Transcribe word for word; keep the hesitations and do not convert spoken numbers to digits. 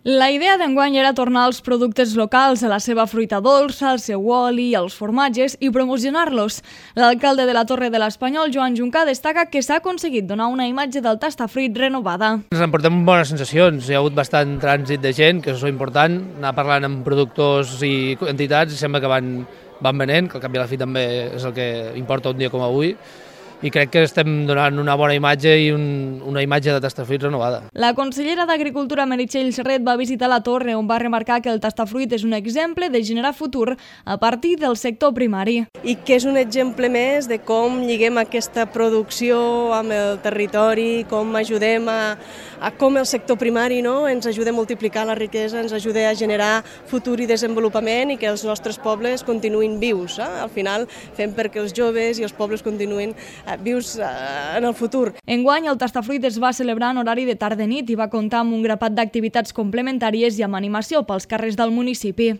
La idea d'enguany era tornar els productes locals a la seva fruita dolça, al seu oli, als formatges i promocionar-los. L'alcalde de la Torre de l'Espanyol, Joan Juncà, destaca que s'ha aconseguit donar una imatge del tastafruit renovada. Ens emportem bones sensacions, hi ha hagut bastant trànsit de gent, que això és important, anar parlant amb productors i entitats i sembla que van, van venent, que al cap i a la fi també és el que importa un dia com avui. I crec que estem donant una bona imatge i un, una imatge de tastafruit renovada. La consellera d'Agricultura, Meritxell Serret, va visitar la Torre, on va remarcar que el tastafruit és un exemple de generar futur a partir del sector primari. I que és un exemple més de com lliguem aquesta producció amb el territori, com ajudem a, a com el sector primari no, ens ajuda a multiplicar la riquesa, ens ajuda a generar futur i desenvolupament i que els nostres pobles continuïn vius. Eh? Al final fem perquè els joves i els pobles continuïn vius en el futur. Enguany, el tastafruit es va celebrar en horari de tarda-nit i va comptar amb un grapat d'activitats complementàries i amb animació pels carrers del municipi.